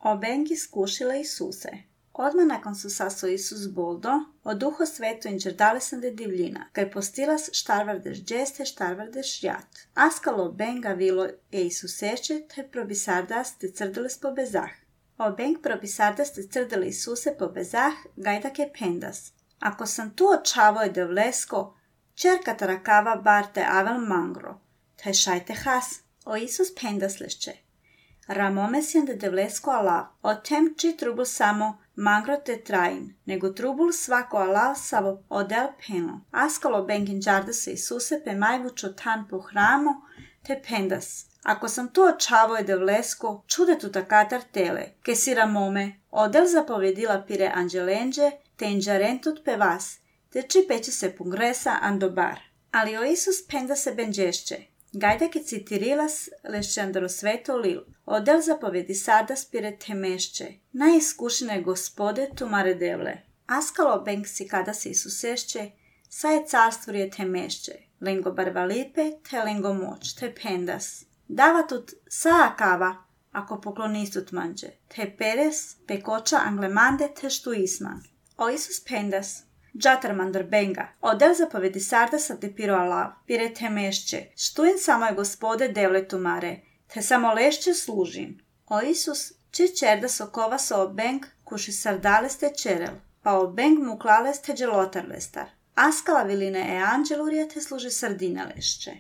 Obeng iskušila Isuse. Odmah nakon su saso Isus boldo, od Duho sveto inđerdalesen de divljina, kaj postilas štarvardeš džeste, štarvardeš jat. Askalo obenga vilo e Isuseče, te probisardas te crdeles po bezah. Obeng probisardas te crdele Isuse po bezah, gajdake pendas. Ako sam tu očavoj de vlesko, čerka tarakava barte avel mangro, te šajte has. O Isus pendas lesče. Ramomesjen de devlesko alav, o tem či trubul samo mangro te train, nego trubul svako alav savo odel peno. Askalo bengin džardas Isuse pe majvučo tan po hramo, te pendas. Ako sam tu očavoj de vlesko, čude tu takatar tele, ke si ramome, odel zapovedila pire anđelenđe, te inđarentut pe vas, te či peće se pungresa andobar. Ali o Isus penda se benđešće. Gajdake citirilas lešćandro sveto lil. Odel zapovedi sada spire temešće. Najiskušene gospode tumare devle. Askalo beng si kada se Isusešće, sa je carstvuje temešće. Lengo barvalipe, te lengo moć, te pendas. Dava tut saa kava, ako poklonistut manđe. Te peres, pekoča anglemande, te štu isman. O Isus pendas. Džatar mandar benga, odel zapovedi sardasa te piro alav, pire te mešće, štuin samo je gospode devle tumare, te samo lešće služin. O Isus, či čerda sokova so obeng, kuši sardales te čerel, pa obeng mu klales te dželotar lestar. Askala viline e anđelurije te služi sardine lešće.